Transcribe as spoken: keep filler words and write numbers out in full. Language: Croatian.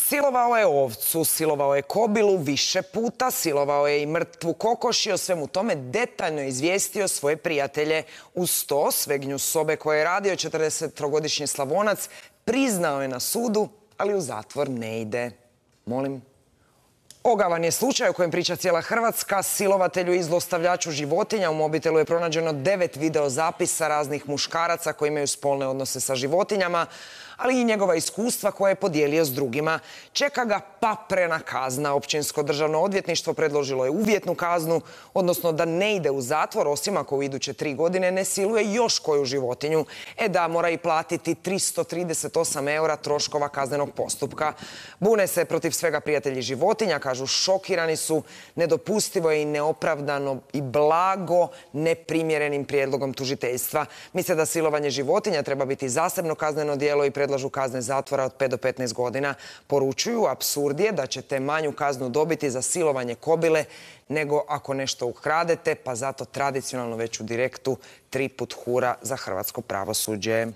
Silovao je ovcu, silovao je kobilu više puta, silovao je i mrtvu kokoš i o svemu tome detaljno izvijestio svoje prijatelje. Uz to, svegnju sobe koje je radio četrdesettrogodišnji Slavonac priznao je na sudu, ali u zatvor ne ide. Molim. Ogavan je slučaj o kojem priča cijela Hrvatska. Silovatelju i zlostavljaču životinja u mobitelu je pronađeno devet videozapisa raznih muškaraca koji imaju spolne odnose sa životinjama, ali i njegova iskustva koje je podijelio s drugima. Čeka ga paprena kazna. Općinsko državno odvjetništvo predložilo je uvjetnu kaznu, odnosno da ne ide u zatvor, osim ako u iduće tri godine ne siluje još koju životinju. E da, mora i platiti tristo trideset osam eura troškova kaznenog postupka. Bune se protiv svega prijatelji životinja, kažu šokirani su, nedopustivo je i neopravdano i blago neprimjerenim prijedlogom tužiteljstva. Misle da silovanje životinja treba biti zasebno kazneno djelo i predlažu kazne zatvora od pet do petnaest godina. Poručuju, apsurd je da ćete manju kaznu dobiti za silovanje kobile nego ako nešto ukradete, pa zato tradicionalno već u direktu tri put hura za hrvatsko pravosuđe.